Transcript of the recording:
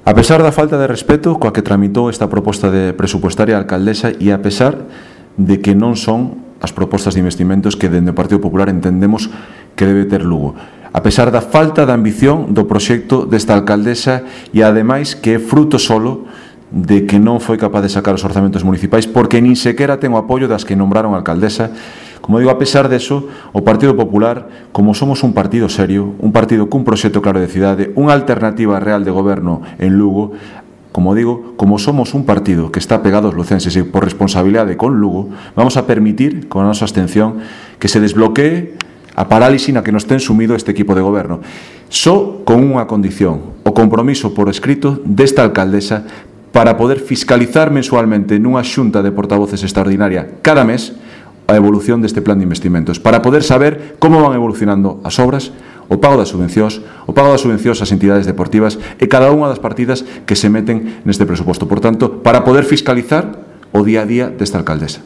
A pesar da falta de respeto coa que tramitou esta proposta de presupuestaria a alcaldesa e a pesar de que non son as propostas de investimentos que dende o Partido Popular entendemos que debe ter Lugo. A pesar da falta de ambición do proxecto desta alcaldesa e ademais que é fruto solo de que non foi capaz de sacar os orzamentos municipais porque nin sequera ten o apoio das que nombraron alcaldesa. Como digo, a pesar deso, o Partido Popular, como somos un partido serio, un partido cun proxecto claro de cidade, unha alternativa real de goberno en Lugo, como digo, como somos un partido que está pegado aos lucenses e por responsabilidade con Lugo, vamos a permitir, con a nosa abstención, que se desbloquee a parálise na que nos ten sumido este equipo de goberno. Só con unha condición, o compromiso por escrito desta alcaldesa para poder fiscalizar mensualmente nunha xunta de portavoces extraordinaria cada mes a evolución deste plan de investimentos, para poder saber como van evolucionando as obras, o pago das subvencións ás entidades deportivas e cada unha das partidas que se meten neste presuposto. Por tanto, para poder fiscalizar o día a día desta alcaldesa.